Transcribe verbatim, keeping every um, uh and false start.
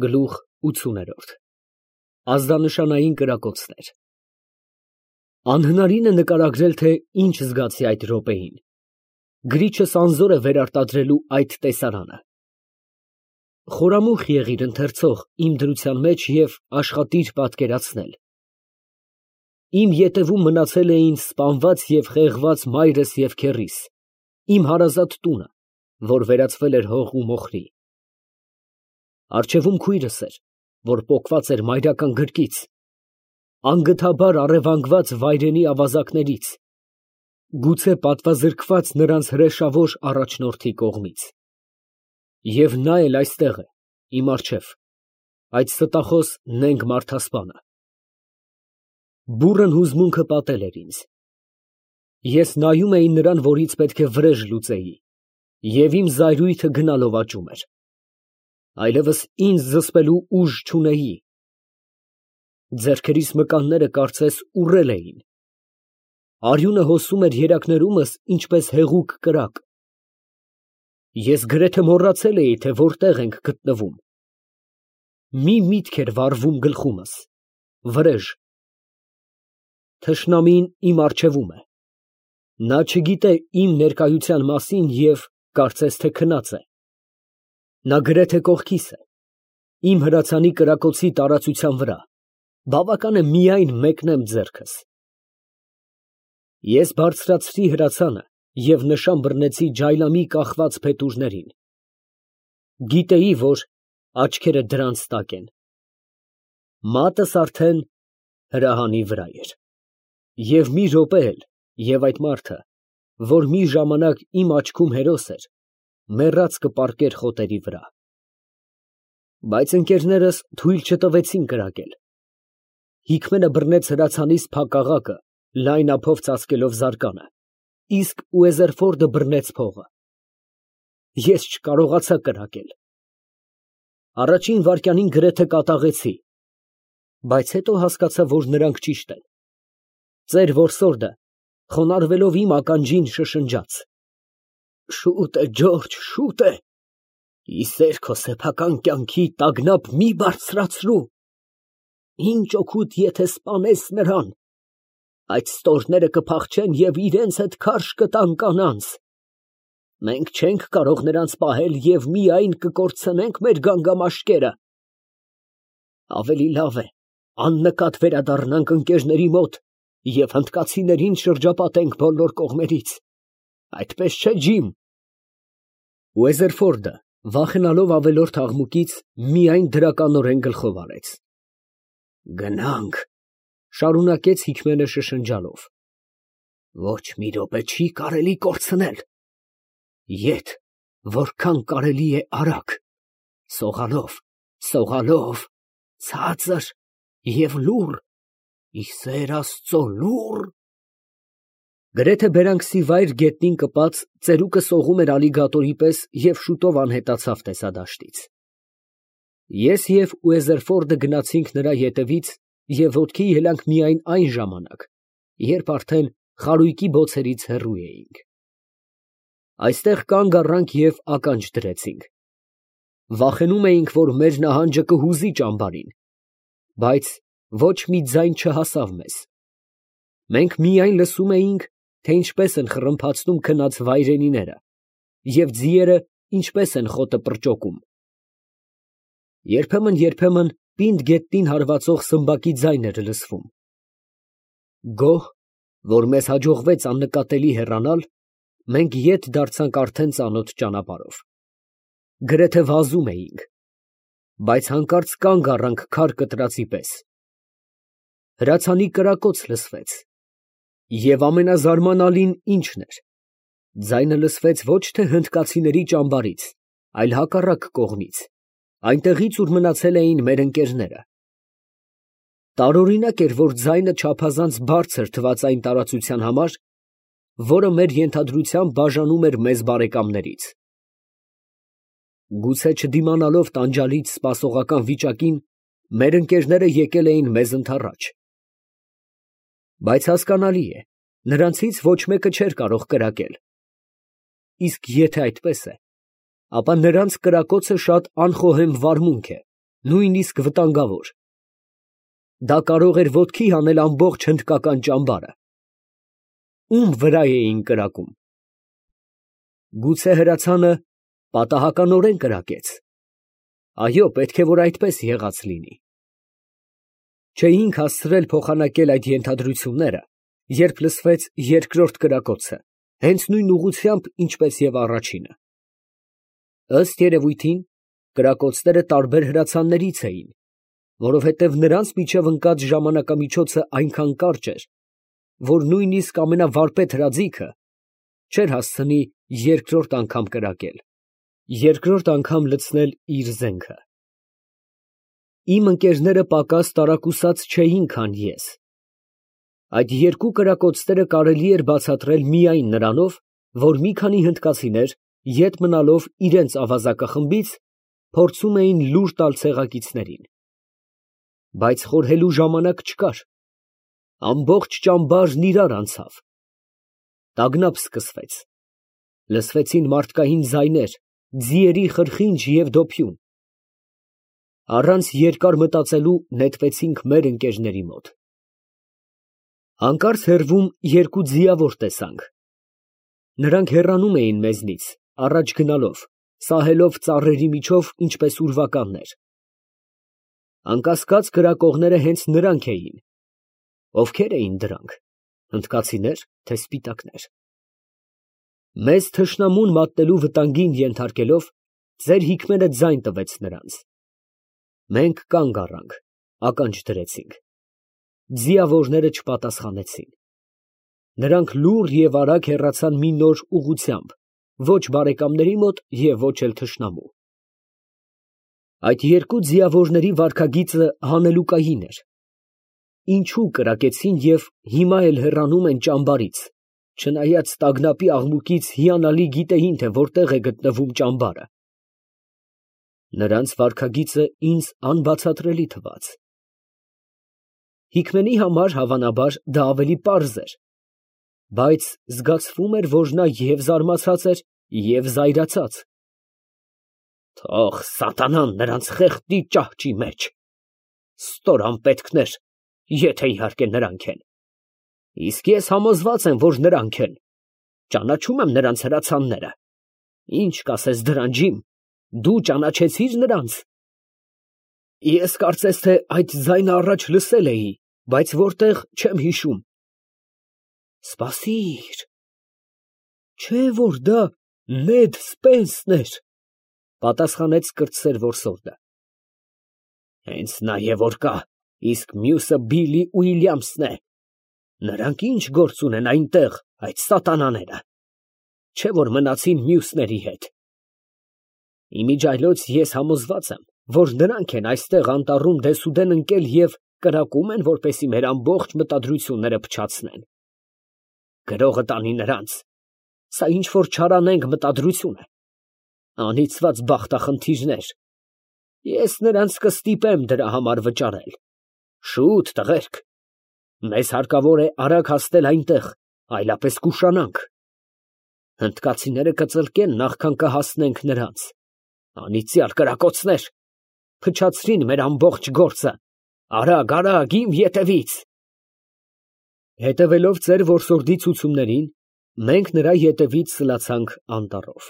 Գլուխ ութ։ Ազդանշանային կրակոցներ Անհնարին է նկարագրել, թե ինչ զգացի այդ րոպեին, գրիչս անզոր է վերարտադրելու այդ տեսարանը։ Խորամուխ եղիր, ընթերցող, իմ դրության մեջ և աշխատիր պատկերացնել. իմ ետևում մնացել էին սպանված և խեղված մայրս և քեռիս, իմ հարազատ տունը, որ վերածվել էր հող ու մոխրի, առջևում քույրս էր, որ պոկված էր մայրական գրկից, անգթաբար առևանգված վայրենի ավազակներից, գուցե պատվազրկված նրանց հրեշավոր առաջնորդի կողմից, և նա էլ այստեղ է, իմ առջև, այդ ստախոս նենգ մարդասպանը։ Բուռն հուզմունքը պատել էր ինձ։ Ես նայում էի նրան, որից պետք է վրեժ լուծեի, և իմ զայրույթը գնալով աճում էր, այլևս ինձ զսպելու ուժ չունեի, ձեռքերիս մկանները կարծես ուռել էին, արյունը հոսում էր երակներումս, ինչպես հեղուկ կրակ, ես գրեթե մոռացել էի, թե որտեղ ենք գտնվում, մի միտք էր վառվում գլխումս, վրեժ, թշնամին իմ առջևում է, նա չգիտե իմ ներկայության մասին և կարծես թե քնած է, նա գրեթե կողքիս է, իմ հրացանի կրակոցի տարածության վրա, բավական է միայն մեկնեմ ձեռքս։ Ես բարձրացրի հրացանը և նշան բռնեցի ջայլամի կախված փետուրներին, գիտեի, որ աչքերը դրանց տակ են, մատս արդեն հրահանի վրա էր, և մի րոպե էլ, և այդ մարդը, որ մի ժամանակ իմ աչքում հերոս էր, մեռած կպառկեր խոտերի վրա։ Բայց ընկերներս թույլ չտվեցին կրակել, Հիկմենը բռնեց հրացանիս փակաղակը, լայն ափով ծածկելով զարկանը, իսկ Ուեզերֆորդը բռնեց փողը։ Ես չկարողացա կրակել, առաջին վայրկյանին գրեթե կատաղեցի, բայց հետո հասկացա, որ նրանք ճիշտ են, ծեր որսորդը, խոնարհվելով իմ ականջին շշնջաց. «Շուտ է, Ջորջ, շուտ է, ի սեր քո սեփական կյանքի տագնապ մի բարձրացրու, ինչ օգուտ, եթե սպանես նրան, այդ ստորները կփախչեն և իրանց հետ քարշ կտան կանանց, մենք չենք կարող նրանց պահել և միայն կկորցնենք մեր գանգամաշկերը, ավելի լավ է աննկատ վերադառնանք ընկերների մոտ և հնդկացիներին շրջապատենք բոլոր կողմերից, այդպես չէ, ջիմ»։ Ուեզերֆորդը, վախենալով ավելորդ աղմուկից, միայն դրականորեն գլխով արեց։ «Գնանք, ֊ շարունակեց Հիկմենը շշնջալով, ֊ ոչ մի րոպե չի կարելի կորցնել, ետ, որքան կարելի է արագ, սողալով, սողալով, ցածր և լուռ, ի սեր Աստծո, լուռ»։ Գրեթե բերանքսի վայր գետնին կպած, ծերուկը սողում էր ալիգատորի պես և շուտով անհետացավ տեսադաշտից։ Ես և Ուեզերֆորդը գնացինք նրա ետևից և ոտքի ելանք միայն այն ժամանակ, երբ արդեն խարույկի բոցերից հեռու էինք։ Այստեղ կանգ առանք և ականջ դրեցինք, վախենում էինք, որ մեր նահանջը կհուզի ճամբարին, բայց ոչ մի ձայն չհասավ մեզ, մենք միայն լսում էինք, թե ինչպես են խռմփացնում քնած վայրենիները և ձիերը ինչպես են խոտը պրճոկում։ Երբեմն֊երբեմն պինդ գետնին հարվածող սմբակի ձայն էր լսվում։ Գոհ, որ մեզ հաջողվեց աննկատելի հեռանալ, մենք ետ դարձանք արդեն ծանոթ ճանապարհով, գրեթե վազում էինք, բայց հանկարծ կանգ առանք քար կտրածի պես։ Հրացանի կրակոց լսվեց, և ամենազարմանալին ինչն էր, ձայնը լսվեց ոչ թե հնդկացիների ճամբարից, այլ հակառակ կողմից, այնտեղից, ուր մնացել էին մեր ընկերները։ Տարօրինակ էր, որ ձայնը չափազանց բարձր թվաց այն տարածության համար, որը մեր ենթադրությամբ բաժանում էր մեզ բարեկամներից։ Գուցե չդիմանալով տանջալից սպասողական վիճակին, մեր ընկերները եկել էին մեզ ընդառաջ։ Բայց հասկանալի է, նրանցից ոչ մեկը չէր կարող կրակել, իսկ եթե այդպես է, ապա նրանց կրակոցը շատ անխոհեմ վարմունք է, նույնիսկ վտանգավոր։ Դա կարող էր ոտքի հանել ամբողջ հնդկական ճամբարը։ Ում վրա էին կրակում։ Գուցե հրացանը պատահականորեն կրակեց։ Այո, պետք է որ այդպես եղած լինի։ Չէինք հասցրել փոխանակել այդ ենթադրությունները, երբ լսվեց երկրորդ կրակոցը, հենց նույն ուղղությամբ, ինչպես և առաջինը։ Ըստ երևույթին, կրակոցները տարբեր հրացաններից էին, որովհետև նրանց միջև ընկած ժամանակամիջոցը այնքան կարճ էր, որ նույնիսկ ամենավարպետ հրաձիգը չէր հասցնի երկրորդ անգամ կրակել, երկրորդ անգամ լցնել իր զենքը։ Իմ ընկերները պակաս տարակուսած չէին, քան ես։ Այդ երկու կրակոցները կարելի էր բացատրել միայն նրանով, որ մի քանի հնդկացիներ, ետ մնալով իրենց ավազակախմբից, փորձում էին լուր տալ ցեղակիցներին։ Բայց խորհելու ժամանակ չկար։ Ամբողջ ճամբարն իրար անցավ։ Տագնապ սկսվեց։ Լսվեցին մարդկային ձայներ, ձիերի խրխինջ և դոփյուն։ Առանց երկար մտածելու նետվեցինք մեր ընկերների մոտ։ Հանկարծ հեռվում երկու ձիավոր տեսանք։ Նրանք հեռանում էին մեզնից, առաջ գնալով, սահելով ծառերի միջով, ինչպես ուրվականներ։ Անկասկած կրակողները հենց նրանք էին։ Ովքեր էին դրանք, հնդկացինե՞ր, թե սպիտակներ։ Մեզ թշնամուն մատնելու վտանգին ենթարկելով, ձեր հիկմերը ձայն տվեց նրանց։ Մենք կանգ առանք, ականջ դրեցինք։ Ձիավորները չպատասխանեցին։ Նրանք լուռ և արագ հեռացան մի նոր ուղղությամբ, ոչ բարեկամների մոտ և ոչ էլ թշնամու։ Այդ երկու ձիավորների վարքագիծը հանելուկային էր։ Ինչու կրակեցին և հիմա էլ հեռանում են ճամբարից, չնայած տագնապի աղմուկից հիանալի գիտեին, թե որտեղ է գտնվում ճամբարը։ Նրանց վարքագիծը ինձ անբացատրելի թվաց։ Հիկմենի համար, հավանաբար, դա ավելի պարզ էր, բայց զգացվում էր, որ նա և զարմացած էր, և զայրացած։ Թող սատանան նրանց խեղդի ճահճի մեջ։ Ստոր անպետքներ, եթե իհարկե նրանք են։ Իսկ ես համոզված եմ, որ նրանք են։ Ճանաչում եմ նրանց հրացանները։ Ինչ կասես դրան, ջիմ, դու ճանաչեցի՞ր նրանց։ Ես կարծես թե այդ ձայնը առաջ լսել էի, բայց որտեղ, չեմ հիշում։ Սպասիր, չէ՞ որ դա Նեդ Սպենսն էր, պատասխանեց կրտսեր որսորդը։ Հենց նա է որ կա, իսկ մյուսը Բիլլի Ուիլյամսն է։ Նրանք ինչ գործ ունեն այնտեղ, այդ սատանաները, չէ՞ որ մնացին մյուսների հետ։ Իմիջիայլոց ես համոզված եմ, որ նրանք են այստեղ անտառում դեսուդեն ընկել և կրակում են, որպեսզի մեր ամբողջ մտադրությունները փչացնեն։ Գրողը տանի նրանց։ Սա ինչ որ չարանենգ մտադրություն է։ Անիծված բախտախնդիրներ։ Ես նրանց կստիպեմ դրա համար վճարել։ Շուտ, տղերք։ Մեզ հարկավոր է արագ հասնել այնտեղ, այլապես կուշանանք։ Հնդկացիները կծլկեն, նախքան կհասնենք նրանց։ Անիծյալ կրակոցներ, փչացրին մեր ամբողջ գործը։ Արագ, արագ, իմ ետևից։ Հետևելով ծեր որսորդի ցուցումներին, մենք նրա ետևից սլացանք անտառով։